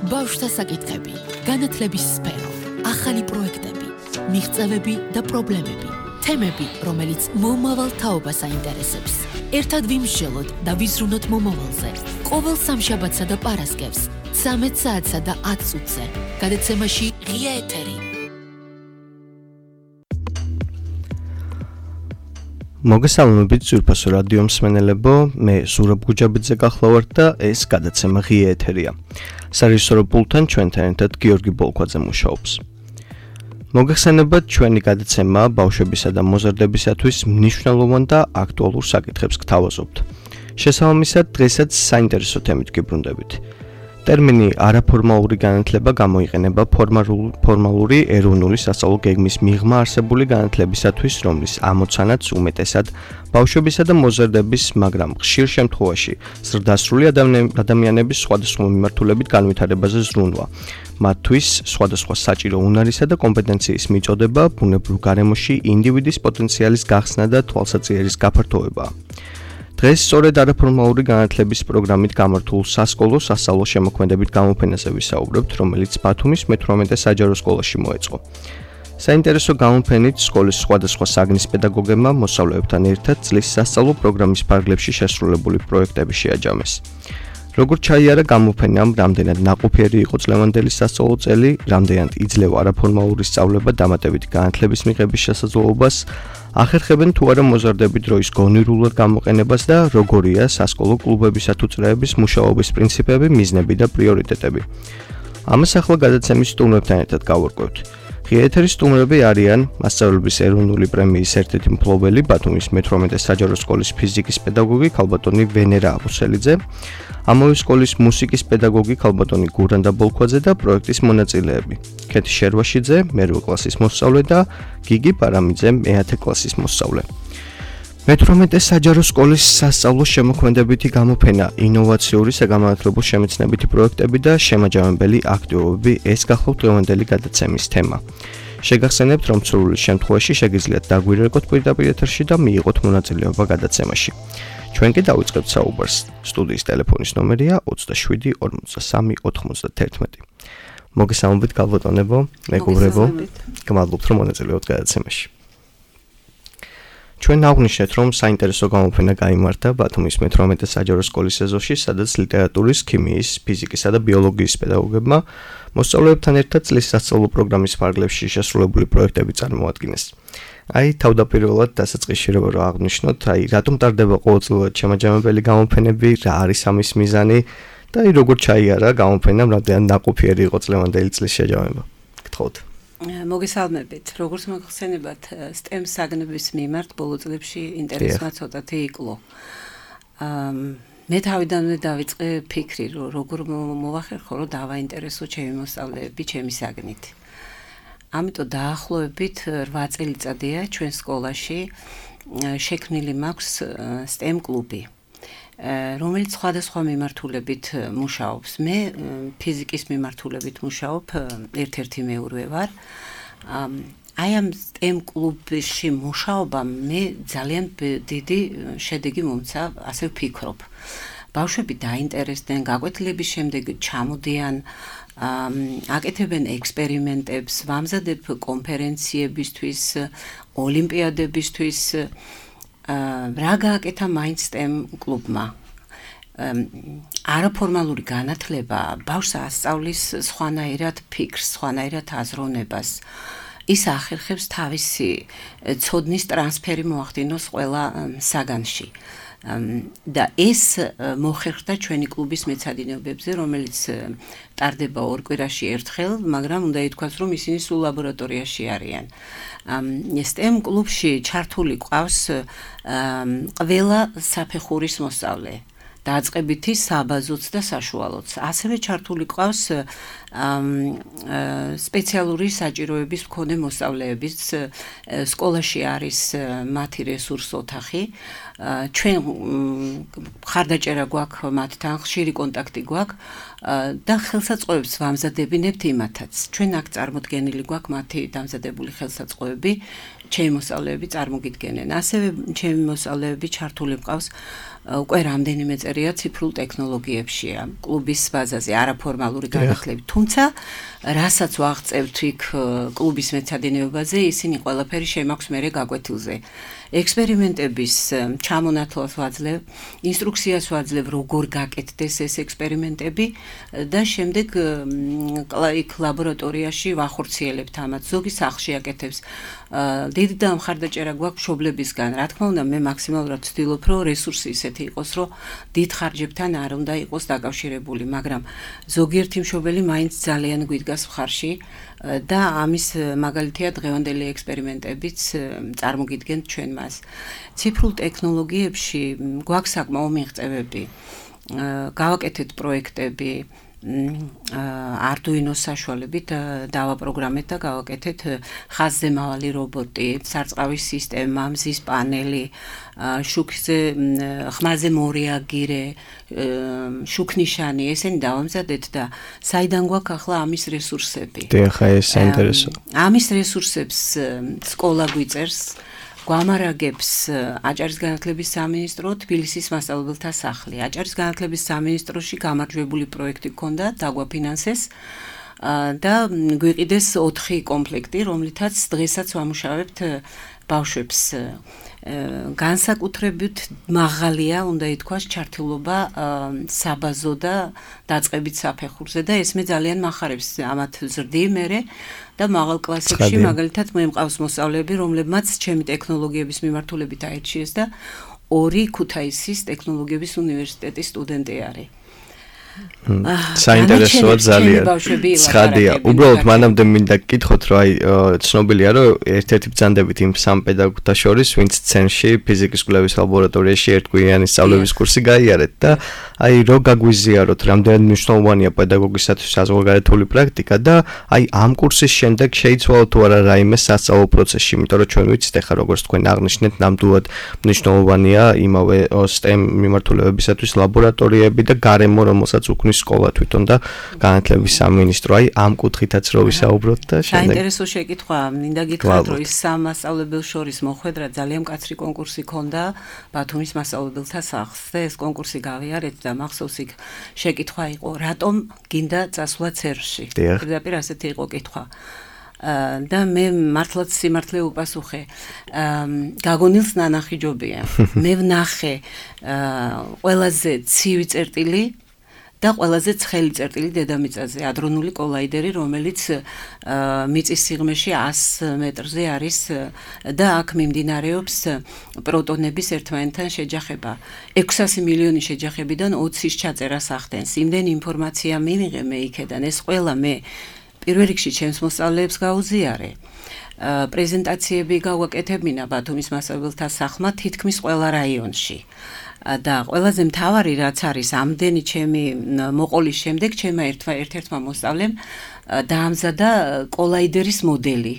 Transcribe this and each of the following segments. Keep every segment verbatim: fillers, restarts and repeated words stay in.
ბავშვთა საკითხები, განათლების სფერო, ახალი პროექტები, მიღწევები და პრობლემები, თემები, რომელიც მომავალ თაობას აინტერესებს. ერთად ვიმსჯელოთ და ვიზრუნოთ მომავალზე. ყოველ სამშაბათსა და პარასკევს, ცამეტ საათსა და ათ წუთზე. გადაცემაში ღია ეთერი. მოგესალმებით ძვირფასო რადიო მსმენელებო, მე ზურაბ გუჯაბიძე გახლავართ და ეს გადაცემა ღია ეთერია. სარეჟისორო პულტთან ჩვენთან ერთად გიორგი ბოლქვაძე მუშაობს. მოგეხსენებათ, ჩვენი გადაცემა ბავშვებისა და მოზარდებისათვის მნიშვნელოვან და აქტუალურ საკითხებს გთავაზობთ. შესაბამისად, დღესაც საინტერესო თემით გიბრუნდებით. ტერმინი არაფორმალური განათლება გამოიყენება ფორმალური ეროვნული სასწავლო გეგმის მიღმა არსებული განათლებისათვის, რომლის ამოცანაც უმეტესად ბავშვებისა და მოზარდების, მაგრამ ხშირ შემთხვევაში ზრდასრული ადამიანების სხვადასხვა მიმართულებით განვითარებაზე ზრუნვა. მათთვის სხვადასხვა საჭირო უნარისა და კომპეტენციის მიწოდება, ბუნებრივ გარემოში ინდივიდის პოტენციალის გახსნა და თვალსაჩინოს გაფართოება. დღეს სწორედ არაფორმალური განათლების პროგრამით გამართულ სასკოლო სასწავლო შემოქმედებით გამოფენაზე ვისაუბრებთ, რომელიც ბათუმის მეთვრამეტე საჯარო სკოლაში მოეწყო. საინტერესო გამოფენით სკოლის სხვადასხვა საგნის პედაგოგებმა მოსწავლეებთან ერთად წლის სასწავლო პროგრამის ფარგლებში შესრულებული პროექტები შეაჯამეს. როგორც ჩაიარა გამოფენამ, რამდენად ნაყოფიერი იყო წლევანდელი სასწავლო წელი, რამდენად იძლევა არაფორმალური სწავლება დამატებითი განათლების მიღების შესაძლებლობას, ახერხებენ თუ არა მოზარდები დროის გონივრულად გამოყენებას და როგორია სასკოლო კლუბებისა თუ წრეების მუშაობის პრინციპები, მიზნები და პრიორიტეტები. ამას ახლა გადაცემის სტუმრებთან ერთად გავარკვევთ. ღია ეთერის სტუმრები არიან მასწავლებლების ეროვნული პრემიის ერთ-ერთი მფლობელი, ბათუმის მეთვრამეტე საჯარო სკოლის ფიზიკის პედაგოგი ქალბატონი ვენერა აბუსელიძე, ამავე სკოლის მუსიკის პედაგოგი ქალბატონი გურანდა ბოლქვაძე და პროექტის მონაწილეები. ქეთი შერვაშიძე, მერვე კლასის მოსწავლე და გიგი პარამიძე, მეათე კლასის მოსწავლე. მეთვრამეტე საჯარო სკოლის სასწავლო შემოქმედებითი გამოფენა, ინოვაციური საგანმანათლებლო შემეცნებითი პროექტები და შემაჯამებელი აქტივობები ეს გახლავთ დღევანდელი გადაცემის თემა. შეგახსენებთ, რომ სრული შემთხვევაში შეგიძლიათ დაგვირეკოთ პირდაპირ ეთერში და მიიღოთ მონაწილეობა გადაცემაში. ჩვენ კი დავიწყებთ საუბარს. სტუდიის ტელეფონის ნომერია ოცდაშვიდი ორმოცდასამი ოთხმოცდაათერთმეტი. მოგესალმებით ქალბატონებო, მეგობრებო, გმადლობთ რომ მონაწილეობთ გადაცემაში. ჩვენ აღვნიშნეთ, რომ საინტერესო გამოფენა გაიმართა ბათუმის მეთვრამეტე საჯარო სკოლის ეზოში, სადაც ლიტერატურის, ქიმიის, ფიზიკისა და ბიოლოგიის პედაგოგებმა მოსწავლეებთან ერთად წლის სასწავლო პროგრამის ფარგლებში შესრულებული პროექტები წარმოადგინეს. აი, თავდაპირველად დასაწყისში რომ აღვნიშნოთ, აი, რატომ ტარდება ყოველწლიურად შემაჯამებელი გამოფენები, რა არის ამის მიზანი და აი, როგორ ჩაიარა გამოფენამ, რამდენად ნაყოფიერი იყო წლევანდელი წლის შეჯამება. გთხოვთ. მოგესალმებით. როგორც მოგხსენებათ, STEM საგნების მიმართ ბოლო წლებში ინტერესმა ცოტათი იკლო. მე თავიდანვე დავიწყე ფიქრი, რომ როგორ მოვახერხო, რომ დავაინტერესო ჩემი მოსწავლეები ჩემი საგნით. ამიტომ დაახლოებით რვა წელიწადია ჩვენ სკოლაში შექმნილი მაქვს STEM კლუბი, რომელიც სხვადასხვა მიმართულებით მუშაობს. მე ფიზიკის მიმართულებით მუშაობ, ერთ-ერთი მეურვე ვარ. აი ამ STEM კლუბში მუშაობამ მე ძალიან დიდი შედეგი მომცა, ასე ვფიქრობ. ბავშვები დაინტერესდნენ, გაკვეთილების შემდეგ ჩამოდიან, აკეთებენ ექსპერიმენტებს, ვამზადებ კონფერენციებისთვის, ოლიმპიადებისთვის. რა გააკეთა მაინც STEM კლუბმა? არაფორმალური განათლება ბავშვს ასწავლის სხვანაირად ფიქრს, სხვანაირად აზროვნებას. ის ახერხებს თავისი ცოდნის ტრანსფერი მოახდინოს ყველა საგანში. და ეს მოხერხდა ჩვენი კლუბის მეცადინეობებზე, რომელიც ტარდება ორ კვირაში ერთხელ, მაგრამ უნდა ითქვას, რომ ისინი სულ ლაბორატორიაში არიან. STEM კლუბში ჩართული ყავს ყველა საფეხურის მოსწავლე. დაწყებითი, საბაზოც და საშუალოც. ასევე ჩართული ყავს სპეციალური საჭიროების მქონე მოსწავლეებიც. სკოლაში არის მათი რესურს ოთახი, ჩვენ ხარდაჭერა გვაქვს მათთან, ხშირი კონტაქტი გვაქვს და ხელსაწყოებს ვამზადებინებთ იმათაც. ჩვენ აქ წარმოდგენილი გვაქვს მათი დამზადებული ხელსაწყოები, ჩემი მოსწავლეები წარმოგიდგენენ. ასევე ჩემი მოსწავლეები ჩართული მყავს უკვე რამდენიმე წერია ციფრულ ტექნოლოგიებშია, კლუბის ბაზაზე, არაფორმალური განათლებით. თუმცა, რასაც ვაღწევთ იქ კლუბის მეცადინეობაზე, ისინი ყველაფერი შემაქვს მერე გაკვეთილზე. ექსპერიმენტების ჩამონათვალს ვაძლევ, ინსტრუქციას ვაძლევ, როგორ გაკეთდეს ეს ექსპერიმენტები და შემდეგ იქ ლაბორატორიაში ვახორციელებთ ამათ. ზოგი სახლში აკეთებს. დიდი და მხარდაჭერა გვაქვს მშობლებისგან. რა თქმა უნდა, მე მაქსიმალურად ვცდილობ, რომ რესურსი ისეთი იყოს, რომ დიდ ხარჯებთან არ უნდა იყოს დაკავშირებული, მაგრამ ზოგიერთი მშობელი მაინც ძალიან გვიდგას მხარში და ამის მაგალითია დღევანდელი ექსპერიმენტებიც წარმოგიდგენთ ჩვენ მას. ციფრულ ტექნოლოგიებში გვაქვს საკმაო მიღწევები. გავაკეთეთ პროექტები Arduino-ს საშუალებით დავაპროგრამეთ და გავაკეთეთ ხაზზე მავალი რობოტი, სარწყავის სისტემა, მზის პანელი, შუქზე ხმაზე მორეაგირე, შუქნიშანი, ესენი დავამზადეთ და საიდან გვაქვს ახლა ამის რესურსები? დიახ, ეს საინტერესო. ამის რესურსებს სკოლა გვიწერს. გვამარაგებს აჭარის განათლების სამინისტრო, თბილისის მასწავლებელთა სახლი. აჭარის განათლების სამინისტროში გამარჯვებული პროექტი გქონდა, დაგვაფინანსეს და გვიყიდეს ოთხი კომპლექტი, რომლითაც დღესაც ვამუშავებთ ბავშვებს. განსაკუთრებით მაღალია, უნდა ითქვას, ჩართულობა საბაზო და დაწყებით საფეხურზე და ეს მე ძალიან მახარებს ამათ ზრდი მერე და მაღალ კლასებში მაგალითად მე მყავს მოსწავლეები, რომლებმაც ჩემი ტექნოლოგიების მიმართულებით აირჩიეს და ორი ქუთაისის ტექნოლოგიების უნივერსიტეტის სტუდენტი არის. საინტერესოა ძალიან. ცხადია. უბრალოდ მანამდე მინდა გკითხოთ, რომ აი ცნობილია, რომ ერთ-ერთი ბრძანდებით იმ სამ პედაგოგთა შორის, ვინც ცენში ფიზიკის კვლევის ლაბორატორიაში ერთგვიანი სწავლების კურსი გაიარეთ და აი რო გაგვიზიაროთ, რამდენად მნიშვნელოვანია პედაგოგისათვის საზღვარგარეთული პრაქტიკა და აი ამ კურსის შემდეგ შეიცვალა თუ არა რაიმე სასწავლო პროცესში, იმიტომ რომ ჩვენ ვიცით ახლა როგორც თქვენ აღნიშნეთ, ნამდვილად მნიშვნელოვანია იმავე STEM მიმართულებებისათვის ლაბორატორიები და გარემო, რომელსაც უქმნის სკოლა თვითონ და განათლების სამინისტრო. აი ამ კუთხითაც რო ვისაუბროთ და შემდეგ. საინტერესო შეკითხვა, მინდა გითხრათ, რომ ის სამ მასწავლებელს შორის მოხვედრა ძალიან მკაცრი კონკურსი ქონდა ბათუმის მასწავლებელთა სახლს და ეს კონკურსი გავიარეთ და მახსოვს იქ შეკითხვა იყო, რატომ გინდა წასვლა ცერში? პირდაპირ ასეთი იყო კითხვა. და მე მართლაც სიმართლე უპასუხე. გაგონილს ნანახი ჯობია. მე ვნახე ყველაზე ცივი წერტილი და ყველაზე ცხელი წერტილი დედამიწაზე, ადრონული კოლაიდერი, რომელიც მიწის სიღრმეში ას მეტრზე არის და აქ მიმდინარეობს პროტონების ერთმანეთთან შეჯახება. ექვსასი მილიონი შეჯახებიდან ოცის ჩაწერას ახდენს. იმდენი ინფორმაცია მივიღე მე იქედან, ეს ყველა მე პირველ რიგში ჩემს მოსწავლეებს გაუზიარე. პრეზენტაციები გავაკეთებინა ბათუმის მასწავლებელთა სახლმა თითქმის ყველა რაიონში. და ყველაზე მთავარი რაც არის ამდენი ჩემი მოყოლის შემდეგ ჩემმა ერთ-ერთმა მოსწავლემ დაამზადა კოლაიდერის მოდელი.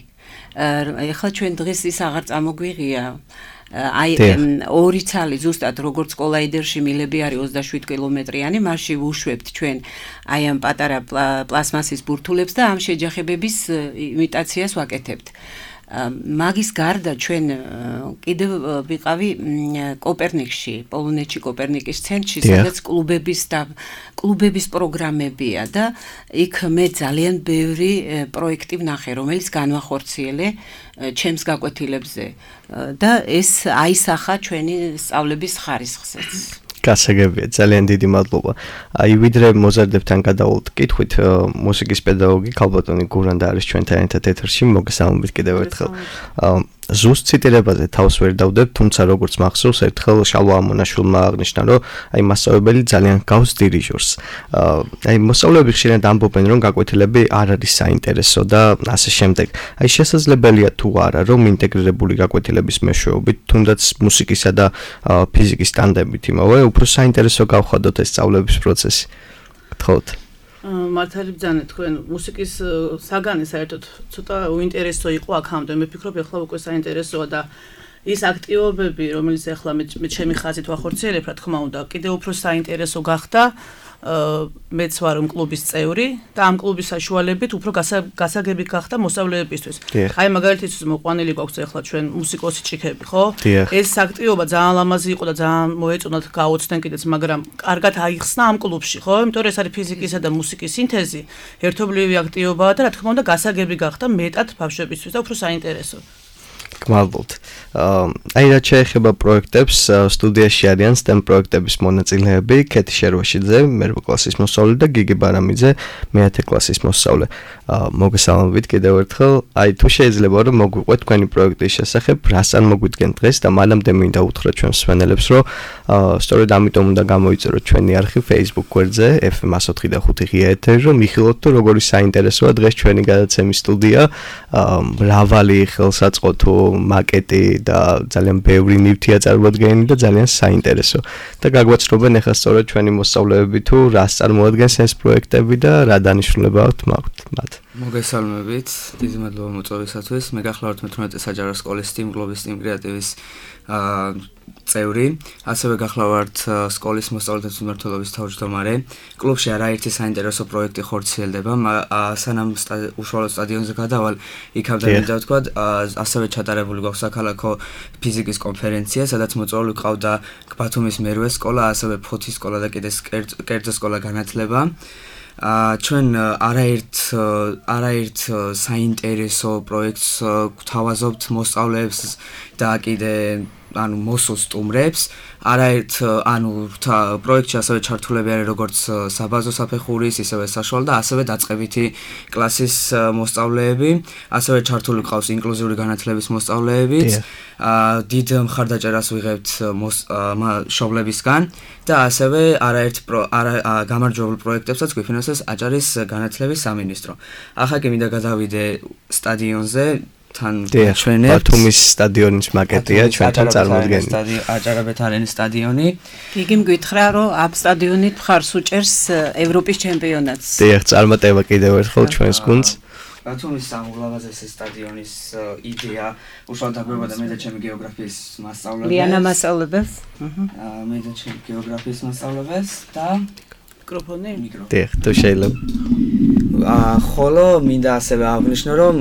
ეხლა ჩვენ დღეს ის აღარ წამოგვიღია. აი ორი ცალი ზუსტად როგორც კოლაიდერში მილები არის ოცდაშვიდ კილომეტრიანი, მასში ვუშვებთ ჩვენ აი ამ პატარა პლასმასის ბურთულებს და ამ შეჯახებების იმიტაციას ვაკეთებთ. მაგის გარდა ჩვენ კიდევ ვიყავი კოპერნიკში, პოლონეთში კოპერნიკის ცენტრში, სადაც კლუბების და კლუბების პროგრამებია და იქ მე ძალიან ბევრი პროექტი ვნახე, რომელიც განვახორციელე ჩემს გაკვეთილებზე და ეს აისახა ჩვენი სწავლების ხარისხზეც. გასაგებია, ძალიან დიდი მადლობა. აი ვიდრე მოზარდებთან გადავალთ კითხვით, მუსიკის პედაგოგი ქალბატონი გურანდა არის ჩვენთან ერთად ეთერში, მოგესალმებით კიდევ ერთხელ. ზუსტ ციტირებაზე თავს ვერ დავდებ, თუმცა როგორც მახსოვს, ერთხელ შალვა ამონაშვილმა აღნიშნა, რომ აი მასწავლებელი ძალიან გავს დირიჟორს. აი მოსწავლეები ხშირად ამბობენ, რომ გაკვეთილები არ არის საინტერესო და ასე შემდეგ. აი შესაძლებელია თუ არა, რომ ინტეგრირებული გაკვეთილების მეშვეობით, თუნდაც მუსიკისა და ფიზიკის ტანდემით იმავე, უფრო საინტერესო გავხადოთ ეს სწავლების პროცესი. გთხოვთ. მართალი ბრძანე თქვენ მუსიკის საგანი საერთოდ ცოტა უინტერესო იყო აქამდე. მე ფიქრობ, ეხლა უკვე საინტერესოა და ის აქტივობები, რომელიც ახლა მე ჩემი ხაზით ვახორციელებ, რა თქმა უნდა, კიდევ უფრო საინტერესო გახდა მეც ვარ კლუბის წევრი და ამ კლუბის საშუალებით უფრო გასაგები გახდა მოსწავლეებისთვის. აი მაგალითად მოყვანილი გვაქვს ახლა ჩვენ მუსიკოსი ჭიქები, ხო? ეს აქტივობა ძალიან ლამაზი იყო და ძალიან მოეწონათ გაოცდნენ კიდეც, მაგრამ კარგად აიხსნა ამ კლუბში, ხო? იმიტომ რომ ეს არის ფიზიკისა და მუსიკის სინთეზი, ერთობლივი აქტივობაა და რა თქმა უნდა გასაგები გახდა მეტად ბავშვებისთვის და უფრო საინტერესო. გმადლობთ. აი რა შეეხება პროექტებს, სტუდიაში არიან STEM პროექტების მონაწილეები, კეთი შერვაშიძე, მერვე კლასის მოსწავლე და გიგი ბარამიძე, მეათე კლასის მოსწავლე. მოგესალმებით კიდევ ერთხელ. აი თუ შეიძლება რომ მოგვიყვეთ თქვენი პროექტის შესახებ, რას არ მოგვიდგენ დღეს და მანამდე მინდა უთხრა ჩვენს მსმენელებს, რომ სწორედ ამიტომ უნდა გამოიწეროთ ჩვენი არხი Facebook გვერდზე ეფ ემ one oh five point five ღია ეთერი, რომ მიხილოთ თუ როგორი საინტერესოა დღეს ჩვენი გადაცემის სტუდია, მრავალი ხელსაწყოთო მაკეტი და ძალიან ბევრი ნივთია წარმოადგენილი და ძალიან საინტერესო. და გაგვაცნობენ ახლა სწორედ ჩვენი მოსწავლეები თუ რას წარმოადგენს ეს პროექტები და რა დანიშნულება აქვს მათ. მოგესალმებით, დიდი მადლობა მოწვევისათვის. მე გახლავართ მეთვრამეტე საჯარო სკოლის STEAM გლობის STEAM კრეატივის წევრი, ასევე გახლავართ სკოლის მოსწავლეთა მმართველობის თავმჯდომარე. კლუბში არაერთი საინტერესო პროექტი ხორციელდება, სანამ უშუალოდ სტადიონზე გადავალ, იქამდე მინდა ვთქვა, ასევე ჩატარებული გვაქვს საქალაქო ფიზიკის კონფერენცია, სადაც მოწვეული ყავდა ბათუმის მერვე სკოლა, ასევე ფოთის სკოლა და კიდე კერძო სკოლა განათლება. ჩვენ არაერთ არაერთ საინტერესო პროექტს გვთავაზობთ მოსწავლეებს და კიდე ანუ მოსულ სტუმრებს. არაერთ ანუ პროექტში ასევე ჩართულები არის როგორც საბაზო საფეხურის, ისევე საშუალო და ასევე დაწყებითი კლასის მოსწავლეები, ასევე ჩართული ყავს ინკლუზიური განათლების მოსწავლეებიც. დიდ მხარდაჭერას ვიღებთ მშობლებისგან და ასევე არაერთ გამარჯვებულ პროექტებსაც გვიფინანსებს აჭარის განათლების სამინისტრო. ახლა კი მინდა გადავიდე სტადიონზე. თან ჩვენებს ბათუმის სტადიონის მაკეტია ჩვენთან წარმოდგენილი. აჭარაბეთ არენის სტადიონი. იგი მგითხრა რომ ამ სტადიონით მხარს უჭერს ევროპის ჩემპიონატს. დიახ, წარმატება კიდევ ერთხელ ჩვენს გუნდს. ბათუმის სამაღლავაზესი სტადიონის იდეა უშუალოდ დაგვება და მე და ჩემი გეოგრაფიის მასწავლებელი. ლიანა მასწავლებელს. აა მე და ჩემი გეოგრაფიის მასწავლებელს და მიკროფონი. დიახ, თუ შეიძლება. აა ხოლო მინდა ასევე აღვნიშნო რომ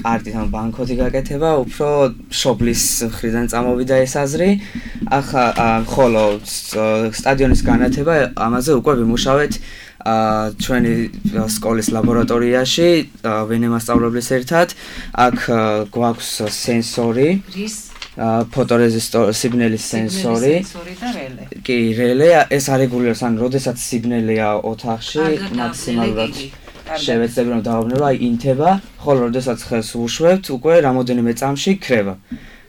კარტით ან ბანკოთი გაკეთება, უფრო შობლის მხრიდან წამოვიდა ეს აზრი. ახლა ხოლო სტადიონის განათება, ამაზე უკვე ვიმუშავეთ ჩვენი სკოლის ლაბორატორიაში, ვენე მასწავლებლის ერთად. აქ გვაქვს სენსორი, ფოტორეზისტორი, სიბნელის სენსორი. კი, რელე, ეს არეგულირებს, ან როდესაც სიბნელეა ოთახში, მაქსიმალურად შევეცდები რომ დავაბნევ, აი ინთება, ხოლო როდესაც ხელს ვუშვებთ, უკვე რამოდენიმე წამში ქრება.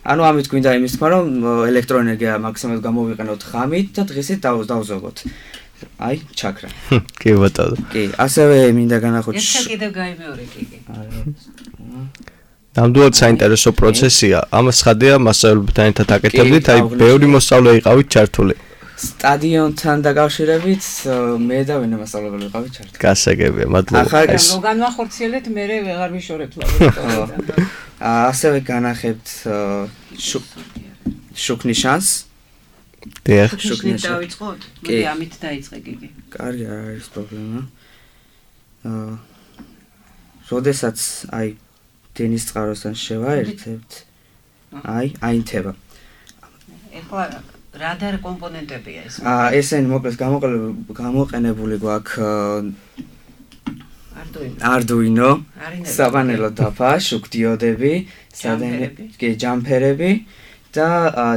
ანუ ამით გვინდა იმის თქმა, რომ ელექტროენერგია მაქსიმალურად გამოვიყენოთ ღამით და დღისით დავზოგოთ. აი, ჩაქრა. კი ბატონო. კი, ასევე მინდა განახოთ. ეს კიდევ გაიმეორე კიდე. ნამდვილად საინტერესო პროცესია. ამას ხადია მასწავლებლებთან ერთად აკეთებდით, აი ბევრი მოსწავლე იყავით ჩართული. სტადიონთან დაკავშირებით მე და ვინმე მასწავლებელი ვიყავით ჩართული. გასაგებია, მადლობა. ახლა განვახორციელეთ, მე ვეღარ ვიშორებ ლაბორატორიიდან. ასევე განახებთ შუქნიშანს. დიახ, შუქნიშანს დავიწყოთ? მოდი ამით დაიწყე გიგი. კარგი, არ არის პრობლემა. აა როდესაც აი დენის წყაროსთან შევაერთებთ, აი აინთება. ეხლა რა და კომპონენტებია ეს? აა ესენი მოკლედ გამოყენებული გვაქვს Arduino, საპანელო დაფა, შუქდიოდები, კი ჯამფერები და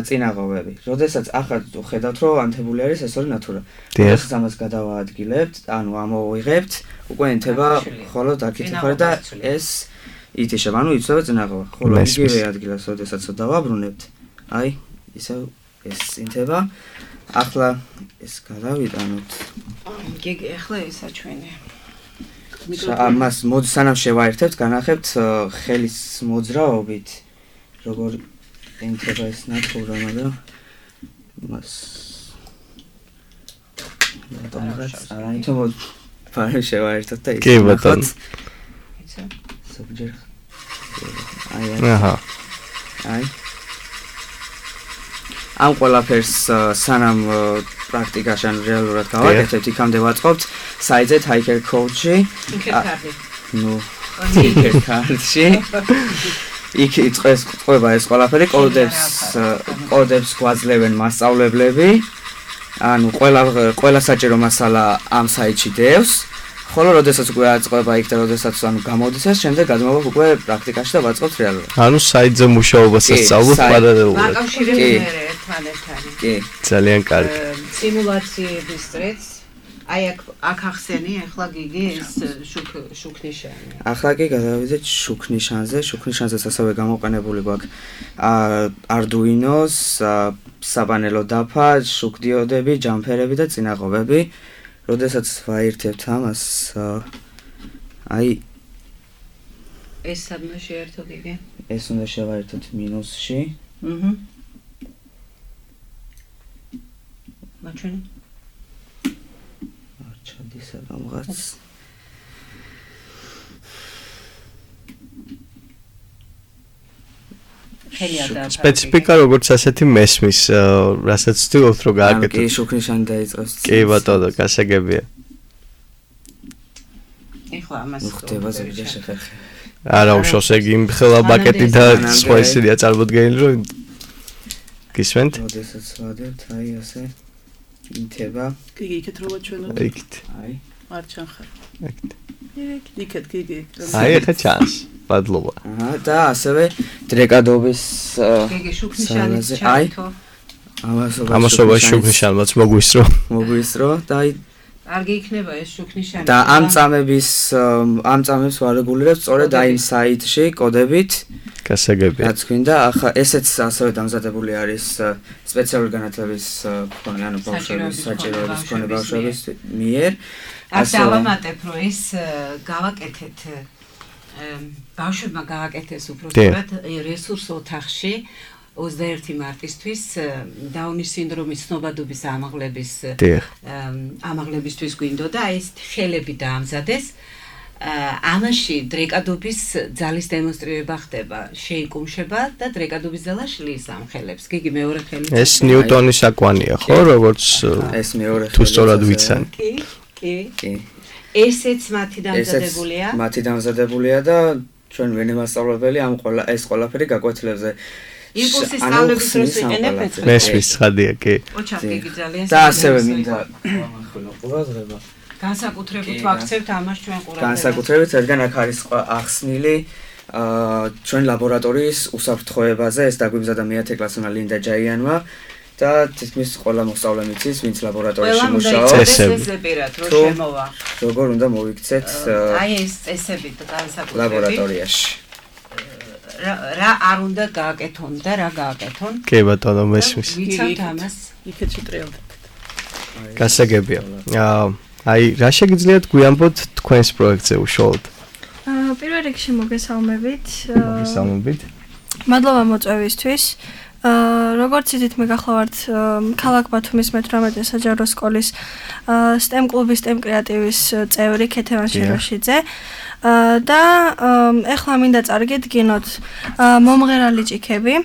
წინაღობები. როდესაც ახლა ხედავთ რომ ანთებული არის ეს ორი ნატურა. როდესაც ამას გადავაადგილებთ, ანუ ამოვიღებთ, უკვე ენთება ხოლო დაკითხება და ეს ითიშება, ანუ იცვლება წინაღობა. ხოლო იგივე ადგილას როდესაც დავაბრუნებთ, აი ისევ ეს ინთება. ახლა ეს გადავიტანოთ. გიგი, ახლა ესა ჩვენი. ამას მოდი სანამ შევაერთებთ, განახებთ ხელის მოძრაობით, როგორ ენთება ეს ნატურა, მაგრამ მას დონღაც არაითო ფარი შევაერთოთ და კი ბატონო. ზოგჯერ აი აჰა. აი ამ ყველაფერს სანამ პრაქტიკაში ან რეალურად გავაკეთებთ, იქამდე ვაწყობთ საიტზე Tiger Coach-ი. ნუ Tiger Coach-ი. იქ იწყეს ყובה ეს ყველაფერი, კოდებს კოდებს გვაძლევენ მასწავლებლები. ანუ ყველა ყველა საჭირო მასალა ამ საიტში დევს. ხოლო როდესაც უკვე აწყობა იქ და როდესაც ანუ გამოდის ეს, შემდეგ გადმოვაქვს უკვე პრაქტიკაში და ვაწყობთ რეალურად. ანუ საიტზე მუშაობასაც სწავლობ პარალელურად. აკავშირებთ მე ერთმანეთთან. კი. ძალიან კარგი. სიმულაციების წრეც აი აქ აქ ახსენი ახლა გიგი ეს შუქ შუქნიშანი. ახლა კი გადავიდეთ შუქნიშანზე. შუქნიშანზეც ასევე გამოყენებული გვაქვს Arduino-ს, საპანელო დაფა, შუქდიოდები, ჯამფერები და წინაღობები. როდესაც ვაერთებთ ამას აი ეს სადმა შეერთოთ იგი? ეს უნდა შევაერთოთ მინუსში. აჰა. მაჩვენი? არჩადის რაღაც. სპეციფიკა როგორც ასეთი მესმის, რასაც ვთქვით რომ გააკეთოთ. კი, შუქნიშანი დაიწყოს. კი ბატონო, გასაგებია. ეხლა ამას ხდება ზოგადად შეხერხე. არა, უშავს ეგ იმ ხელა ბაკეტი და სხვა ისედია წარმოდგენილი რომ გისმენთ? როდესაც ვადებთ, აი ასე ინთება. გიგი იქეთ რო ვაჩვენოთ. იქით. აი. არ ჩანხარ. იქით. იქეთ გიგი. აი ახლა ჩანს. მადლობა. აჰა და ასევე დრეკადობის გიგი შუქნიშანის ჩართო. ამასობა შუქნიშანმაც მოგვისრო. მოგვისრო და აი კარგი იქნება ეს შუქნიშანი. და ამ წამების ამ წამებს ვარეგულირებთ სწორედ აი იმ საიტში კოდებით. გასაგებია. რაც გვინდა, ახლა ესეც ასევე დამზადებული არის სპეციალური განათლების მქონე, ანუ ბავშვების საჭიროების მქონე ბავშვების მიერ. ასე დავამატებ, რომ ეს გავაკეთეთ ბავშვებმა გააკეთეს უბრალოდ რესურს ოთახში ოცდაერთი მარტისთვის დაუნის სინდრომის ცნობადობის ამაღლების ამაღლებისთვის გვინდოდა ეს ხელები დაამზადეს. ამაში დრეკადობის ძალის დემონსტრირება ხდება, შეიკუმშება და დრეკადობის ძალა შლის ამ ხელებს. გიგი მეორე ხელი. ეს ნიუტონის აკვანია, ხო, როგორც ეს მეორე ხელი. თუ სწორად ვიცანი. კი, კი. კი. ესეც მათი დამზადებულია. მათი დამზადებულია და ჩვენ ვენი მასწავლებელი ამ ყველა ეს ყველაფერი გაკვეთილებზე იმპულსის სწავლების დროს ვიყენებთ. მესმის ცხადია, კი. ოჩა გიგი ძალიან და ასევე მინდა ამახვილო ყურადღება. განსაკუთრებით ვაქცევთ ამას ჩვენ ყურადღებას. განსაკუთრებით, რადგან აქ არის ახსნილი აა ჩვენ ლაბორატორიის უსაფრთხოებაზე, ეს დაგვიბზადა მეათე კლასმა ლინდა ჯაიანმა და თითქმის ყველა მოსწავლემ იცის, ვინც ლაბორატორიაში მუშაობს. წესები რა რო შემოვა. როგორ უნდა მოიქცეთ აი ეს წესები განსაკუთრებით ლაბორატორიაში. რა არ უნდა გააკეთონ და რა გააკეთონ? კი ბატონო, მესმის. ვიცავთ ამას. იქეთ შეტრიალდებთ. გასაგებია. აა აი რა შეგიძლიათ გვიამბოთ თქვენს პროექტზე უშუალოდ? აა პირველ რიგში მოგესალმებით. მოგესალმებით. მადლობა მოწვევისთვის. აა როგორც იცით, მე გახლავართ ქალაქ ბათუმის მეთვრამეტე საჯარო სკოლის STEM კლუბის STEM კრეატივის წევრი ქეთევან შეროშიძე. და ეხლა მინდა წარგედგინოთ მომღერალი ჭიქები,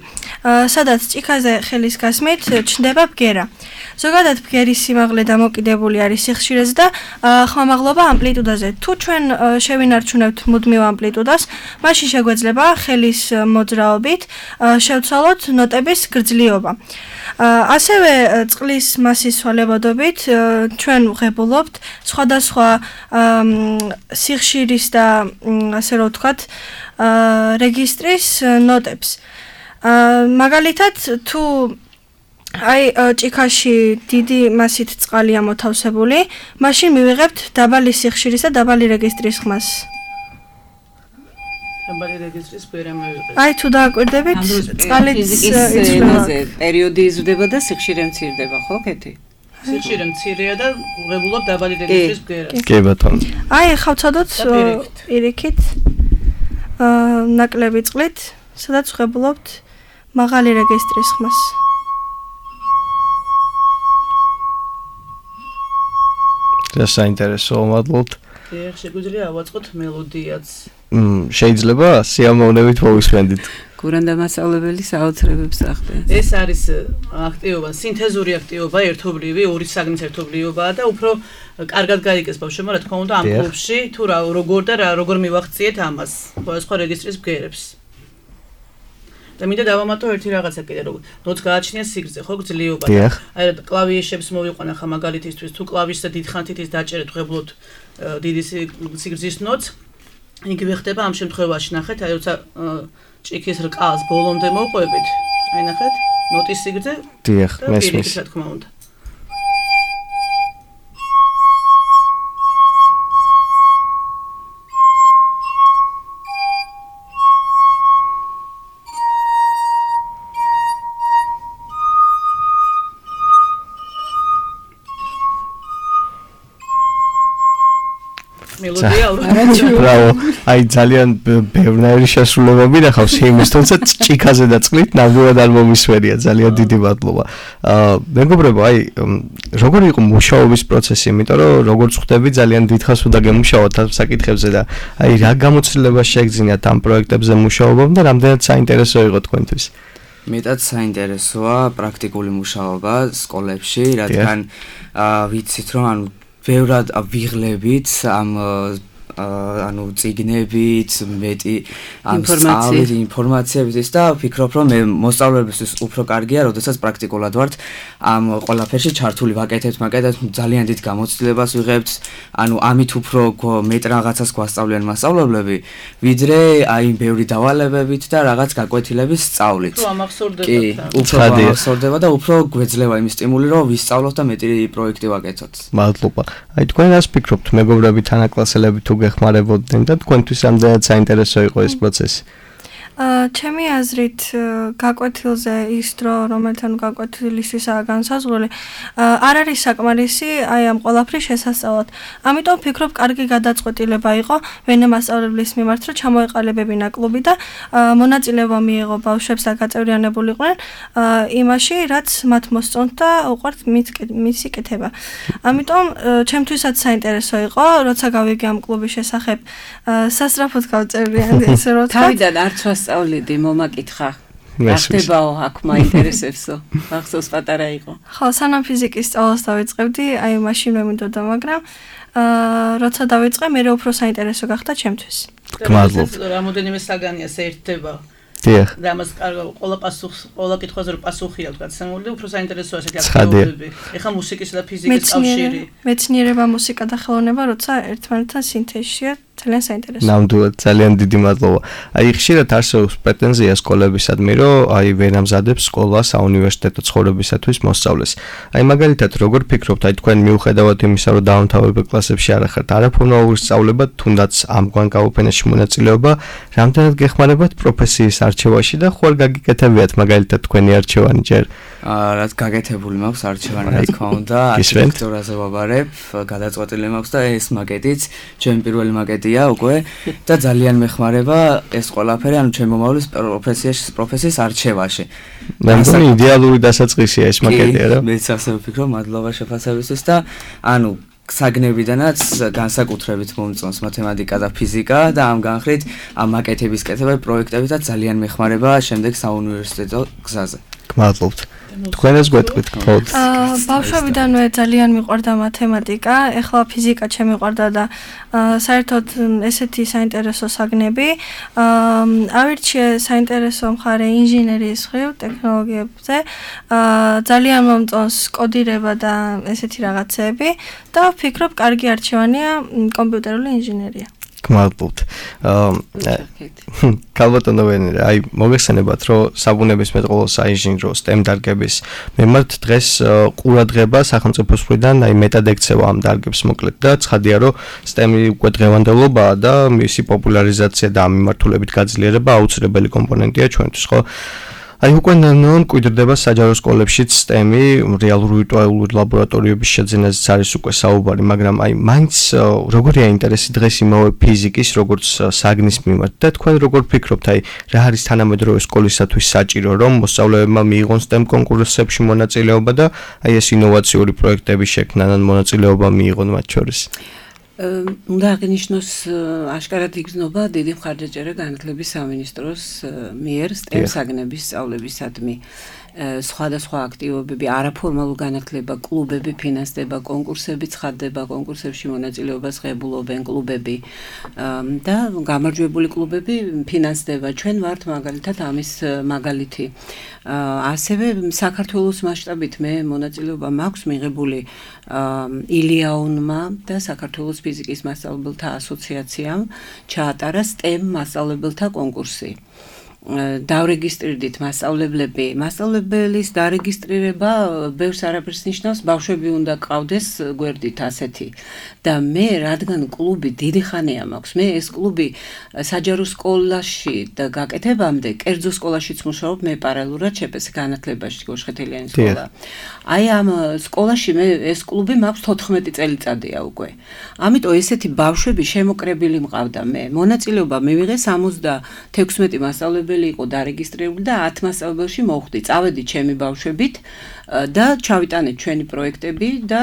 სადაც ჭიქაზე ხელის გასმით ჩნდება ბგერა. ზოგადად ბგერის სიმაღლე დამოკიდებული არის სიხშირეზე და ხმამაღლობა ამპლიტუდაზე. თუ ჩვენ შევინარჩუნებთ მუდმივ ამპლიტუდას, მაშინ შეგვეძლება ხელის მოძრაობით შევცვალოთ ნოტების გრძლიობა. ასევე წყლის მასის სვალებადობით ჩვენ ვღებულობთ სხვადასხვა სიხშირის და ასე რომ ვთქვათ რეგისტრის ნოტებს. მაგალითად თუ აი ჭიქაში დიდი მასით წყალია მოთავსებული, მაშინ მივიღებთ დაბალი სიხშირის და დაბალი რეგისტრის ხმას. დაბალი რეგისტრის ბერა მივიღებთ. აი თუ დააკვირდებით, წყალიც იცვლება. პერიოდი იზრდება და სიხშირე მცირდება, ხო, კეთი? სიხშირე მცირეა და ვღებულობ დაბალი რეგისტრის ბგერას. კი ბატონო. აი ახლა ვცადოთ პირიქით. აა ნაკლები წყლით, სადაც ვღებულობთ მაღალი რეგისტრის ხმას. და საინტერესო მადლობთ. დიახ, შეგვიძლია ავაწყოთ მელოდიაც. მ შეიძლება სიამოვნებით მოვისმენდით. გურანდა მასწავლებელი საოცრებებს ახდენს. ეს არის აქტივობა, სინთეზური აქტივობა, ერთობლივი, ორი საგნის ერთობლიობაა და უფრო კარგად გაიგეს ბავშვებმა, რა თქმა უნდა, ამ კლუბში თუ რა როგორ და როგორ მივახციეთ ამას, სხვა რეგისტრის ბგერებს. და მინდა დავამატო ერთი რაღაცა კიდე, რომ ნოც გააჩნია სიგრძე, ხო, გძლიერობა. აი კლავიშებს მოვიყვანა ხა მაგალითისთვის, თუ კლავიშზე დიდხანთით ის დაჭერეთ ღებლოთ დიდი სიგრძის ნოც, იგივე ხდება ამ შემთხვევაში, ნახეთ, აი როცა ჭიქის რკალს ბოლომდე მოვყვებით, აი ნახეთ, ნოტის სიგრძე. დიახ, მესმის. რა თქმა უნდა. მელოდია ბრავო, აი ძალიან ბევრი შესრულებები ნახავს იმის, თუმცა ჭიქაზე დაწყლით ნამდვილად არ მომისმენია, ძალიან დიდი მადლობა. აა მეგობრებო, აი როგორი იყო მუშაობის პროცესი, იმიტომ რომ როგორც ხვდები ძალიან დიდხანს უნდა გემუშაოთ ამ საკითხებზე და აი რა გამოცდილება შეგძინათ ამ პროექტებზე მუშაობამ და რამდენად საინტერესო იყო თქვენთვის? მეტად საინტერესოა პრაქტიკული მუშაობა სკოლებში, რადგან ვიცით რომ ანუ ბევრად ვიღლებით ამ ანუ წიგნებით, მეტი ამ სწავლით, ინფორმაციებით ის და ვფიქრობ რომ მე მოსწავლეებისთვის უფრო კარგია, როდესაც პრაქტიკულად ვართ ამ ყველაფერში ჩართული ვაკეთებთ, მაგალითად ძალიან დიდ გამოცდილებას ვიღებთ, ანუ ამით უფრო მეტ რაღაცას გვასწავლიან მასწავლებლები, ვიდრე აი ბევრი დავალებებით და რაღაც გაკვეთილების სწავლით. თუ ამახსოვრდება. კი, უფრო ამახსოვრდება და უფრო გვეძლევა იმის სტიმული, რომ ვისწავლოთ და მეტი პროექტი ვაკეთოთ. მადლობა. აი თქვენ რას ფიქრობთ, მეგობრები, თანაკლასელები თუ გეხმარებოდნენ და თქვენთვის რამდენად საინტერესო იყო ეს პროცესი? აა ჩემი აზრით გაკვეთილზე ის დრო, რომელთან გაკვეთილისთვისაა განსაზღვრული, არ არის საკმარისი აი ამ ყველაფრის შესასწავლად. ამიტომ ვფიქრობ, კარგი გადაწყვეტილება იყო ვენა მასწავლებლის მიმართ, რომ ჩამოეყალიბებინა კლუბი და მონაწილეობა მიიღო ბავშვებს და გაწევრიანებულიყვნენ იმაში, რაც მათ მოსწონთ და უყვართ მისი კეთება. ამიტომ ჩემთვისაც საინტერესო იყო, როცა გავიგე ამ კლუბის შესახებ, სასწრაფოდ გავწევრიანდი, ესე რომ ვთქვა. თავიდან არც ვასწავლიდი, მომაკითხა. ახდებაო, აქ მაინტერესებსო. ახსოვს პატარა იყო. ხო, სანამ ფიზიკის სწავლას დავიწყებდი, აი მაშინვე მინდოდა, მაგრამ აა როცა დავიწყე, მე უფრო საინტერესო გახდა ჩემთვის. გმადლობთ. რამოდენიმე საგანია საერთდება. დიახ. და ამას ყველა პასუხს, ყველა კითხვაზე რომ პასუხია გაცემული, უფრო საინტერესოა ესეთი აქტივობები. ეხლა მუსიკის და ფიზიკის კავშირი. მეცნიერება, მუსიკა და ხელოვნება, როცა ერთმანეთთან სინთეზშია, ძალიან საინტერესოა. ნამდვილად, ძალიან დიდი მადლობა. აი ხშირად არსებობს პრეტენზია სკოლებისადმი, რომ აი ვერ ამზადებს სკოლა საუნივერსიტეტო ცხოვრებისათვის მოსწავლეს. აი მაგალითად, როგორ ფიქრობთ, აი თქვენ მიუხედავად იმისა, რომ დაუნთავრებელ კლასებში არ ახართ არაფორმალური სწავლება, თუნდაც ამგვარ გაუფენაში მონაწილეობა, რამდენად გეხმარებათ პროფესიის არჩევაში და ხوار გაგიკეთებიათ მაგალითად თქვენი არჩევანი ჯერ? აა რაც გაკეთებული მაქვს არჩევანი, რა თქმა უნდა, არქიტექტურაზე ვაბარებ, გადაწყვეტილი მაქვს და ეს მაკეტიც, ჩემი პირველი მაკეტია უკვე და ძალიან მეხმარება ეს ყველაფერი, ანუ ჩემი მომავლის პროფესიაში, პროფესიის არჩევაში. მე მგონი იდეალური დასაწყისია ეს მაკეტი, რა? მეც ასე ვფიქრობ, მადლობა შეფასებისთვის და ანუ საგნებიდანაც განსაკუთრებით მომწონს მათემატიკა და ფიზიკა და ამ განხრით ამ მაკეტების კეთება პროექტებითაც ძალიან მეხმარება შემდეგ საუნივერსიტეტო გზაზე. გმადლობთ. თქვენ ეს გვეტყვით მხოლოდ. აა ბავშვებიდანვე ძალიან მიყვარდა მათემატიკა, ეხლა ფიზიკა შემიყვარდა და საერთოდ ესეთი საინტერესო საგნები. აა ავირჩიე საინტერესო მხარე ინჟინერიის მხრივ, ტექნოლოგიებზე. აა ძალიან მომწონს კოდირება და ესეთი რაღაცები და ვფიქრობ, კარგი არჩევანია კომპიუტერული ინჟინერია. გმადლობთ. აა კალბატონო ვენერა, აი მოგეხსენებათ, რომ საბუნებისმეტყველო საინჟინრო STEM დარგების მიმართ დღეს ყურადღება სახელმწიფოს მხრიდან აი მეტად ექცევა ამ დარგებს მოკლედ და ცხადია, რომ STEM-ი უკვე დღევანდელობაა და მისი პოპულარიზაცია და ამ მიმართულებით გაძლიერება აუცილებელი კომპონენტია ჩვენთვის, ხო? აი უკვე ნანონ კვირდება საჯარო სკოლებშიც STEM-ი, რეალური ვირტუალური ლაბორატორიების შეძენაზეც არის უკვე საუბარი, მაგრამ აი მაინც როგორია ინტერესი დღეს იმავე ფიზიკის, როგორც საგნის მიმართ და თქვენ როგორ ფიქრობთ, აი რა არის თანამედროვე სკოლისათვის საჭირო, რომ მოსწავლეებმა მიიღონ STEM კონკურსებში მონაწილეობა და აი ეს ინოვაციური პროექტების შექმნან ან მონაწილეობა მიიღონ მათ შორის? უნდა აღინიშნოს აშკარად იგრძნობა დიდი მხარდაჭერა განათლების სამინისტროს მიერ STEM საგნების სწავლებისადმი. სხვადასხვა აქტივობები, არაფორმალურ განათლება, კლუბები ფინანსდება, კონკურსები ცხადდება, კონკურსებში მონაწილეობას ღებულობენ კლუბები და გამარჯვებული კლუბები ფინანსდება. ჩვენ ვართ მაგალითად ამის მაგალითი. ასევე საქართველოს მასშტაბით მე მონაწილეობა მაქვს მიღებული ილიაუნმა და საქართველოს ფიზიკის მასწავლებელთა ასოციაციამ ჩაატარა STEM მასწავლებელთა კონკურსი. დავრეგისტრირდით მასწავლებლები. მასწავლებლის დარეგისტრირება ბევრს არაფერს ნიშნავს, ბავშვები უნდა ყავდეს გვერდით ასეთი. და მე რადგან კლუბი დიდი ხანია მაქვს, მე ეს კლუბი საჯარო სკოლაში და გაკეთებამდე, კერძო სკოლაშიც მუშაობ, მე პარალელურად შეპეს განათლებაში გოშხეთელიანის სკოლა. აი ამ სკოლაში მე ეს კლუბი მაქვს თოთხმეტი წელიწადია უკვე. ამიტომ ესეთი ბავშვები შემოკრებილი მყავდა მე. მონაწილეობა მივიღე სამოცდათექვსმეტი მასწავლებელი იყო დარეგისტრირებული და ათ მასწავლებელში მოვხვდი. წავედი ჩემი ბავშვებით და ჩავიტანეთ ჩვენი პროექტები და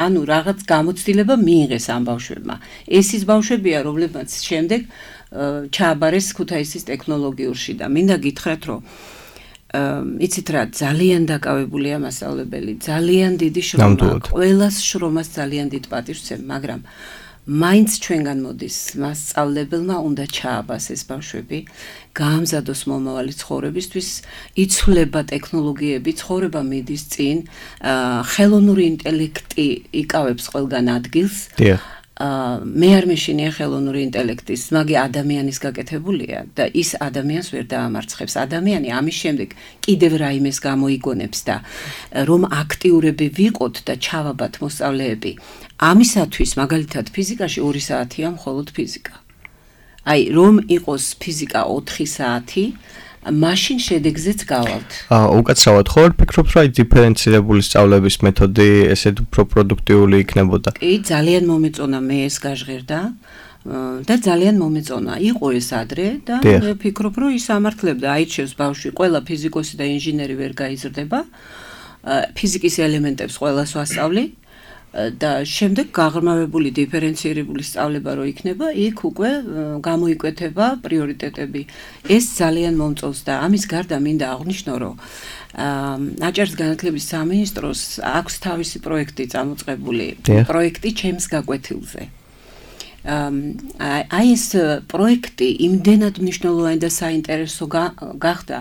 ანუ რაღაც გამოცდილება მიიღეს ამ ბავშვებმა. ეს ის ბავშვებია, რომლებმაც შემდეგ ჩააბარეს ქუთაისის ტექნოლოგიურში და მინდა გითხრათ, რომ იცით რა, ძალიან დაკავებულია მასწავლებელი, ძალიან დიდი შრომა, ყველას შრომას ძალიან დიდ პატივს ვცემ, მაგრამ მაინც ჩვენგან მოდის მასწავლებელმა უნდა ჩააბას ეს ბავშვები, გაამზადოს მომავალი ცხოვრებისთვის, იცვლება ტექნოლოგიები, ცხოვრება მიდის წინ, ხელოვნური ინტელექტი იკავებს ყველგან ადგილს. მე არ მეშინია ხელოვნური ინტელექტის, მაგი ადამიანის გაკეთებულია და ის ადამიანს ვერ დაამარცხებს. ადამიანი ამის შემდეგ კიდევ რაიმეს გამოიგონებს და რომ აქტიურები ვიყოთ და ჩავაბათ მოსწავლეები. ამისათვის მაგალითად ფიზიკაში ორი საათია მხოლოდ ფიზიკა. აი რომ იყოს ფიზიკა ოთხი საათი, მაშინ შედეგზეც გავალთ. აა უკაცრავად ხო არ ფიქრობთ რა დიფერენცირებული სწავლების მეთოდი ესეთ უფრო პროდუქტიული იქნებოდა? კი, ძალიან მომეწონა მე ეს გაჟღერდა და ძალიან მომეწონა. იყო ეს ადრე და მე ვფიქრობ რომ ის ამართლებდა, აიჩევს ბავშვი, ყველა ფიზიკოსი და ინჟინერი ვერ გაიზრდება. ფიზიკის ელემენტებს ყველას ვასწავლი. და შემდეგ გაღრმავებული დიფერენცირებული სწავლება რო იქნება, იქ უკვე გამოიკვეთება პრიორიტეტები. ეს ძალიან მომწონს და ამის გარდა მინდა აღვნიშნო, რომ აჭარის განათლების სამინისტროს აქვს თავისი პროექტი წამოწყებული, პროექტი ჩემს გაკვეთილზე. აი ეს პროექტი იმდენად მნიშვნელოვანი და საინტერესო გახდა,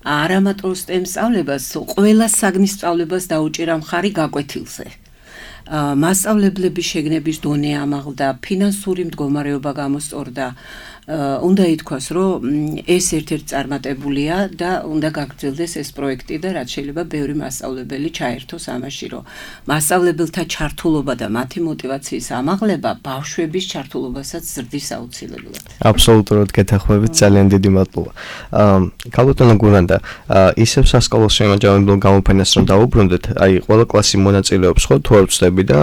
არამატო STEM სწავლებას, ყველა საგნის სწავლებას დაუჭირა მხარი გაკვეთილზე. მასწავლებლების შეგნების დონე ამაღლდა, ფინანსური მდგომარეობა გამოსწორდა. უნდა ითქვას, რომ ეს ერთ-ერთი წარმატებულია და უნდა გაგრძელდეს ეს პროექტი და რაც შეიძლება ბევრი მასწავლებელი ჩაერთოს ამაში, რომ მასწავლებელთა ჩართულობა და მათი мотиваციის ამაღლება ბავშვების ჩართულობასაც ზრდის აუცილებლად. აბსოლუტურად გეთანხმებით, ძალიან დიდი მადლობა. ქალბატონო გურანდა, ისევ სასკოლო შემაჯამებელ გამოფენას რომ დავუბრუნდეთ, აი ყველა კლასი მონაწილეობს ხო, თუ არ ვცდები და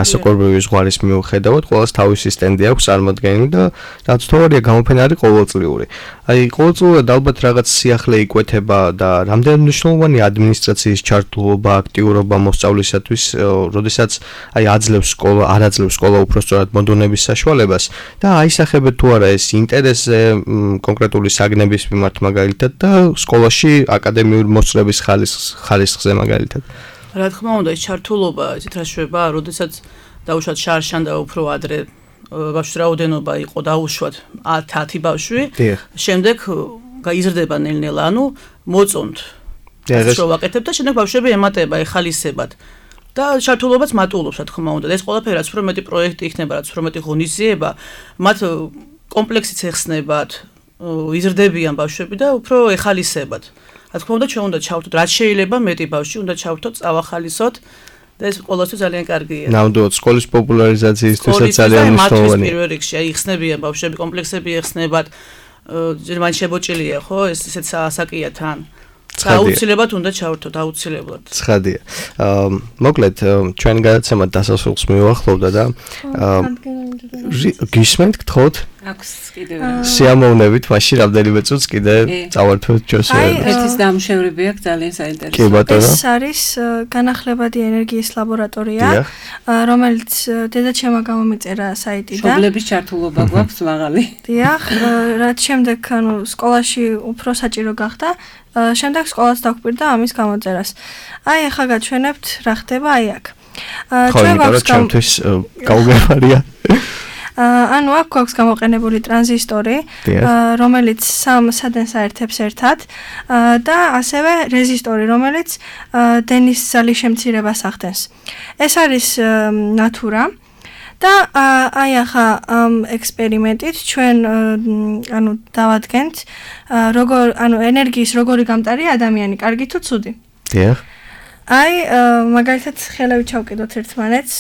ასაკობრივი ზღვარის მიუხედავად, ყველას თავისი სტენდი აქვს წარმოდგენილი და რაც თორია გამოფენა არის ყოველწლიური. აი ყოველწლიურად ალბათ რაღაც სიახლე იკვეთება და რამდენად მნიშვნელოვანი ადმინისტრაციის ჩართულობა, აქტიურობა მოსწავლისათვის, როდესაც აი აძლევს სკოლა, არ აძლევს სკოლა უпростоრად მოდონების საშუალებას და აისახებთ თუ არა ეს ინტერესზე კონკრეტული საგნების მიმართ მაგალითად და სკოლაში აკადემიური მოსწრების ხარისხზე მაგალითად. რა თქმა უნდა, ეს ჩართულობა, იცით რა შვება, როდესაც დაუშვათ შარშან და უფრო ადრე ბავშვის რაოდენობა იყო დაუშვათ ათი ბავშვი, შემდეგ გაიზრდება ნელ-ნელა, ანუ მოწონთ. ეს რო ვაკეთებ და შემდეგ ბავშვები ემატება, ეხალისებად. და ჩართულობაც მატულობს, რა თქმა უნდა. ეს ყველაფერი რაც უფრო მეტი პროექტი იქნება, რაც უფრო მეტი ღონისძიება, მათ კომპლექსიც ეხსნებათ, იზრდებიან ბავშვები და უფრო ეხალისებად. რა თქმა უნდა, ჩვენ უნდა ჩავთოთ, რაც შეიძლება მეტი ბავშვი უნდა ჩავთოთ, წავახალისოთ. და ეს ყოველთვის ძალიან კარგია. ნამდვილად სკოლის პოპულარიზაციისთვისაც ძალიან მნიშვნელოვანია. პირველ რიგში აი იხსნებიან ბავშვები, კომპლექსები ეხსნებათ. ჯერმან შებოჭილია, ხო? ეს ესეც ასაკია თან. აუცილებლად უნდა ჩავთოთ, აუცილებლად. ცხადია. მოკლედ ჩვენ გადაცემა დასასრულს მივახლოვდა და გისმენთ გთხოვთ? აქვს კიდევ სიამოვნებით, მაშინ რამდენიმე წუთს კიდე წავართვეთ ჩვენს ერთის დამშევრები აქვს ძალიან საინტერესო. კი ბატონო. ეს არის განახლებადი ენერგიის ლაბორატორია, რომელიც დედაჩემმა გამომიწერა საიტიდან. მშობლების ჩართულობა გვაქვს მაღალი. დიახ, რაც შემდეგ ანუ სკოლაში უფრო საჭირო გახდა, შემდეგ სკოლას დაგვპირდა ამის გამოწერას. აი ახლა გაჩვენებთ რა ხდება აი აქ. ჩვენ გვაქვს ჩემთვის გაუგებარია. ანუ აქ გვაქვს გამოყენებული ტრანზისტორი, რომელიც სამ სადენს აერთებს ერთად და ასევე რეზისტორი, რომელიც დენის ზალის შემცირებას ახდენს. ეს არის ნატურა და აი ახლა ამ ექსპერიმენტით ჩვენ ანუ დავადგენთ როგორ ანუ ენერგიის როგორი გამტარია ადამიანი, კარგი თუ ცუდი? დიახ. აი მაგალითად ხელები ჩავკიდოთ ერთმანეთს.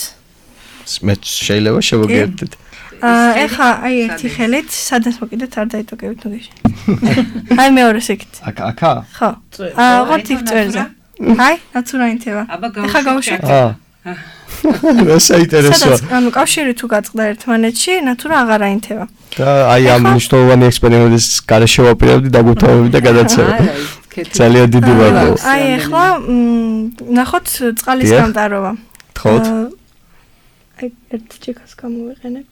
მე შეიძლება შევაგებდეთ. ეხა აი ერთი ხელით სადაც მოკიდეთ არ დაიტოკებით ნუგეში. აი მეორეს იქით. აკა აკა? ხო. აა ვარ თიხ წერზე. აი ნაცურა ინთება. ეხა გავუშვით. აა. რა საინტერესოა. სადაც ანუ კავშირი თუ გაწყდა ერთმანეთში, ნატურა აღარ აინთება. და აი ამ მნიშვნელოვანი ექსპერიმენტის გარეშე ვაპირებდი დაგუთავები და გადაცემა. ძალიან დიდი მადლობა. აი ახლა ნახოთ წყალის გამტარობა. გთხოვთ. აი ერთ ჩიქას გამოვიყენებ.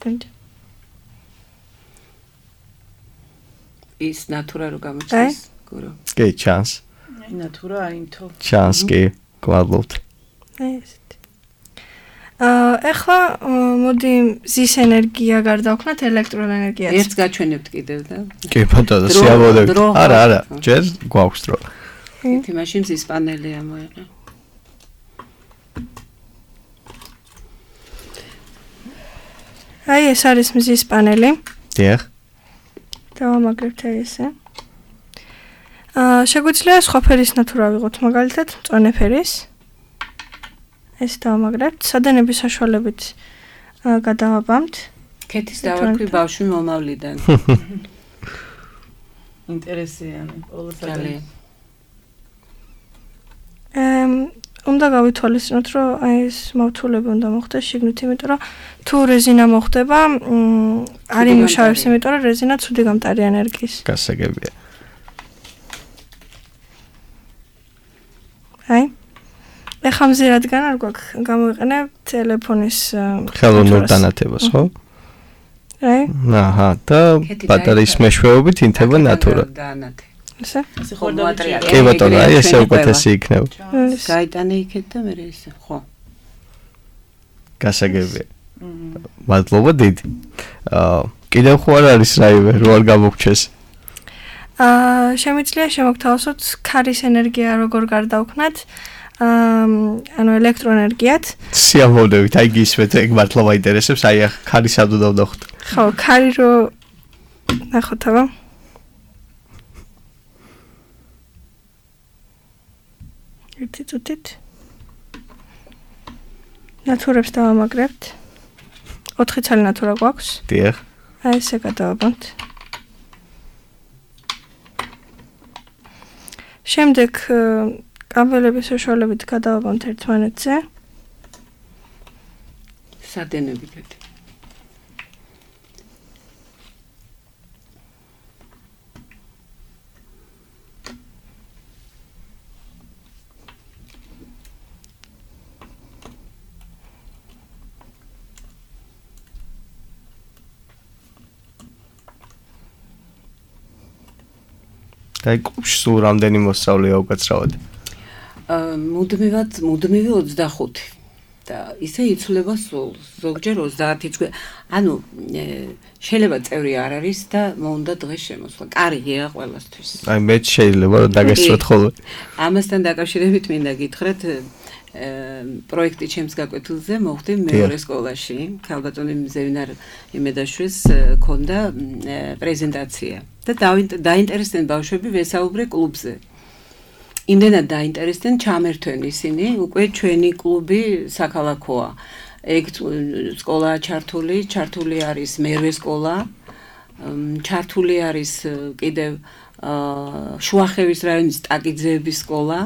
დანჯა. ის ნატურა რო გამოჩნდეს, გურო. კი, ჩანს. ნატურა აინთო. ჩანს კი, გვალობთ. აი ესეთი. აა ახლა მოდი ზის ენერგია გარდავქნათ ელექტროენერგიას. ერთს გაჩვენებთ კიდევ და. კი, ბატონო, სიამოვნებით. არა, არა, ჯერ გვაქვს დრო. ერთი მაშინ ზის პანელი ამოიღე. აი ეს არის მზის პანელი. დიახ. დავამაგრებთ აი ესე. აა შეგვიძლია სხვა ფერის ნატურა ვიღოთ, მაგალითად, მწვანე ფერის. ეს დავამაგრებთ, სადენების საშუალებით გადავაბამთ. ქეთის დავარქვი ბავშვი მომავლიდან. ინტერესიანი, ყოველსაგანი. ემ უნდა გავითვალისწინოთ, რომ აი ეს მავთულები უნდა მოხდეს შიგნით, იმიტომ რომ თუ რეზინა მოხდება, არ იმუშავებს, იმიტომ რომ რეზინა ცუდი გამტარი ენერგიის. გასაგებია. აი ეხლა მზე რადგან არ გვაქვს გამოვიყენებ ტელეფონის ხელოვნურ დანათებას, ხო? აი. აჰა, და ბატარეის მეშვეობით ინთება ნატურა. ესე? ასე ხორდავჭირე. კი ბატონო, აი ესე უკეთესი იქნება. გაიტანე იქეთ და მე ესე, ხო. გასაგებია. მადლობა დიდი. აა კიდევ ხო არ არის რაიმე, რო არ გამოგჩეს? აა შემიძლია შემოგთავაზოთ ქარის ენერგია როგორ გარდავქნათ. აა ანუ ელექტროენერგიად. სიამოვნებით, აი გისმენთ, ეგ მართლა მაინტერესებს, აი ახ ქარი სად უნდა ვნახოთ. ხო, ქარი რო ნახოთ აბა. ერთი წუთით. ნატურებს დავამაგრებთ. ოთხი ცალი ნატურა გვაქვს. დიახ. აი ესე გადავაბამთ. შემდეგ კაბელების საშუალებით გადავაბამთ ერთმანეთზე. სადენები გადი. აი კლუბში სულ რამდენი მოსწავლეა უკაცრავად? აა მუდმივად, მუდმივი ოცდახუთი. და ისე იცვლება სულ, ზოგჯერ ოცდაათი წუთი. ანუ შეიძლება წევრი არ არის და მოუნდა დღეს შემოსვლა. კარგია ყველასთვის. აი მე შეიძლება რომ დაგესწროთ ხოლმე. ამასთან დაკავშირებით მინდა გითხრათ პროექტი ჩემს გაკვეთილზე მოხდი მეორე სკოლაში. ქალბატონი ზევინარ იმედაშვილს ქონდა პრეზენტაცია. და დაინტერესდნენ ბავშვები ვესაუბრე კლუბზე. იმდენად დაინტერესდნენ, ჩამერთვენ ისინი, უკვე ჩვენი კლუბი საქალაქოა. ეგ სკოლა ჩართული, ჩართული არის მერვე სკოლა, ჩართული არის კიდევ შუახევის რაიონის ტაკიძეების სკოლა,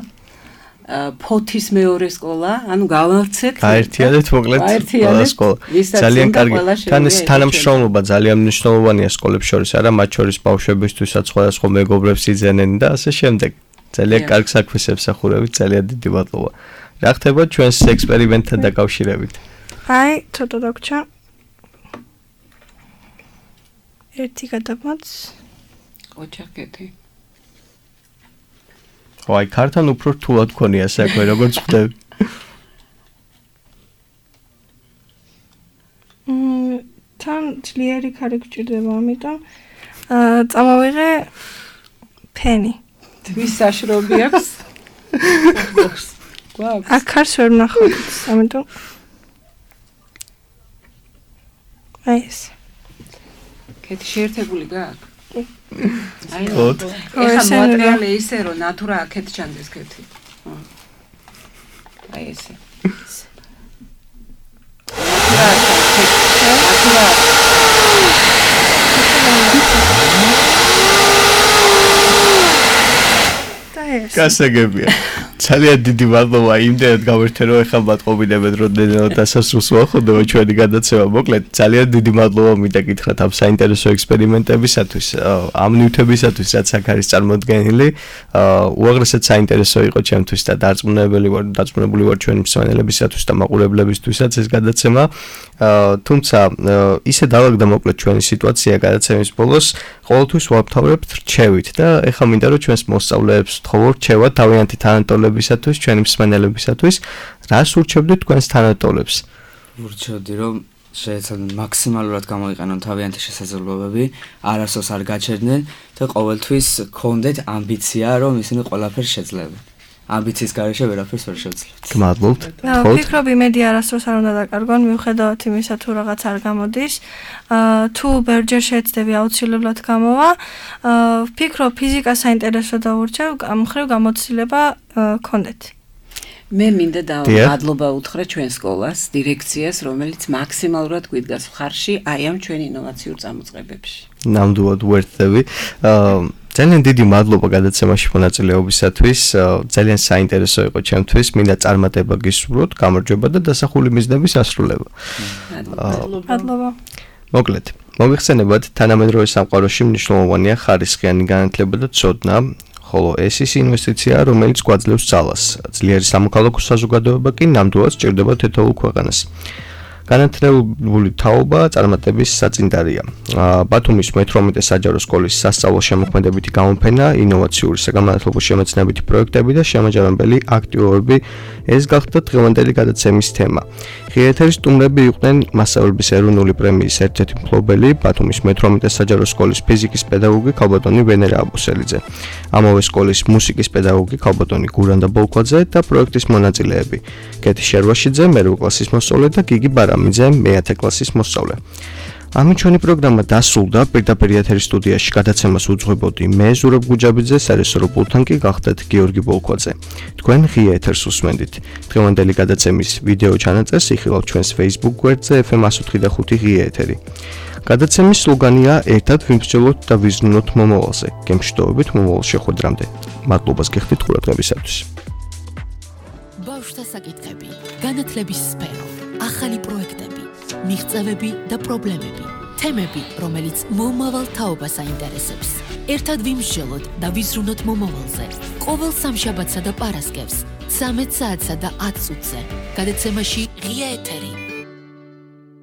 ფოთის მეორე სკოლა, ანუ გავარცეთ. გაერთიანეთ მოკლედ ყველა სკოლა. ძალიან კარგი. თან ეს თანამშრომლობა ძალიან მნიშვნელოვანია სკოლებს შორის, არა მათ შორის ბავშვებისთვისაც სხვადასხვა მეგობრებს იძენენ და ასე შემდეგ. ძალიან კარგ საქმეს ემსახურებით, ძალიან დიდი მადლობა. რა ხდება ჩვენს ექსპერიმენტთან დაკავშირებით? აი, ცოტა დაგჭა. ერთი გადამოც. ოჩახეთი. აი, ქართან უფრო რთულად გქონია საქმე, როგორც ხვდები. მმ, თან ძლიერი ქარი გჭირდება, ამიტომ აა წამოვიღე ფენი. თვის საშრობი აქვს? გვაქვს. აქ ქარს ვერ ვნახავთ, ამიტომ აი ეს. კეთი შეერთებული გაქვს? აი, ხოთ. ეხა მატერიალი ისე რომ ნატურა აქეთ ჩანდეს კეთი. აი ესე. ნატურა. გასაგებია. ძალიან დიდი მადლობა იმდენად გავერთე რომ ეხლა მათყობინებთ რომ დედანად დასასრულს ვახოდო ჩვენი გადაცემა. მოკლედ ძალიან დიდი მადლობა მინდა გითხრათ ამ საინტერესო ექსპერიმენტებისათვის, ამ ნივთებისათვის რაც აქ არის წარმოდგენილი. უაღრესად საინტერესო იყო ჩემთვის და დარწმუნებული ვარ, დარწმუნებული ვარ ჩვენი მსმენელებისათვის და მაყურებლებისთვისაც ეს გადაცემა. თუმცა ისე დავაგდა მოკლედ ჩვენი სიტუაცია გადაცემის ბოლოს, ყოველთვის ვამთავრებთ რჩევით და ეხლა მინდა რომ ჩვენს მოსწავლეებს ვთხოვო რჩევა თავიანთი თანატოლებისათვის, ჩვენი მსმენელებისათვის, რას ურჩევდით თქვენს თანატოლებს? ურჩევდი რომ შეეცადონ მაქსიმალურად გამოიყენონ თავიანთი შესაძლებლობები, არასოს არ გაჩერდნენ და ყოველთვის გქონდეთ ამბიცია რომ ისინი ყველაფერს შეძლებენ. ამბიციის გარეშე ვერაფერს ვერ შევძლებთ. გმადლობთ. ვფიქრობ იმედი არასდროს არ უნდა დაკარგონ, მიუხედავად იმისა თუ რაღაც არ გამოდის. თუ ბერჯერ შეეცდები აუცილებლად გამოვა. ვფიქრობ ფიზიკა საინტერესო დაურჩევ, ამ მხრივ გამოცდილება გქონდეთ. მე მინდა და მადლობა უთხრა ჩვენ სკოლას, დირექციას, რომელიც მაქსიმალურად გვიდგას მხარში აი ამ ჩვენ ინოვაციურ წამოწყებებში. ნამდვილად ვერთდები. ძალიან დიდი მადლობა გადაცემაში მონაწილეობისათვის. ძალიან საინტერესო იყო ჩემთვის. მინდა წარმატება გისურვოთ, გამარჯვება და დასახული მიზნების ასრულება. მადლობა. მოკლედ, მოგიხსენებათ, თანამედროვე სამყაროში მნიშვნელოვანია ხარისხიანი განათლება და ცოდნა. ხოლო ეს ის ინვესტიცია, რომელიც გვაძლევს ძალას. ძლიერი სამოქალაქო საზოგადოება კი ნამდვილად სჭირდება თითოეულ ქვეყანას. განათლებული თაობა წარმატების საწინდარია. ბათუმის მეთორმეტე საჯარო სკოლის სასწავლო შემოქმედებითი გამოფენა, ინოვაციური საგანმანათლებლო შემეცნებითი პროექტები და შემაჯამებელი აქტივობები ეს გახდა დღევანდელი გადაცემის თემა. ღია ეთერის სტუმრები იყვნენ მასწავლებლების ეროვნული პრემიის ერთ-ერთი მფლობელი, ბათუმის მეთორმეტე საჯარო სკოლის ფიზიკის პედაგოგი ქალბატონი ვენერა აბუსელიძე, ამავე სკოლის მუსიკის პედაგოგი ქალბატონი გურანდა ბოლქვაძე და პროექტის მონაწილეები: კეთი შერვაშიძე, მერვე კლასის მოსწავლე და გიგი ბარამიძე, მეათე კლასის მოსწავლე. ამით ჩვენი პროგრამა დასრულდა. პირდაპირ ეთერის სტუდიაში გადაცემას უძღვებოდი მე, ზურაბ გუჯაბიძე, სარეჟისორო პულტთან კი გახდათ გიორგი ბოლქვაძე. თქვენ ღია ეთერს უსმენდით. დღევანდელი გადაცემის ვიდეო ჩანაწერს იხილავთ ჩვენს Facebook გვერდზე ეფ ემ εκατო ოთხი და ხუთი ღია ეთერი. გადაცემის სლოგანია ერთად ვიმსჯელოთ და ვიზრუნოთ მომავალზე. გემშვიდობებით მომავალ შეხვედრამდე. მადლობას გიხდით ყურადღებისათვის. ბავშვთა საკითხები, განათლების სფერო, ახალი პროექტები, მიღწევები და პრობლემები, თემები, რომელიც მომავალ თაობას აინტერესებს. ერთად ვიმსჯელოთ და ვიზრუნოთ მომავალზე. ყოველ სამშაბათსა და პარასკევს, ცამეტ საათსა და ათ წუთზე. გადაცემაში ღია ეთერი.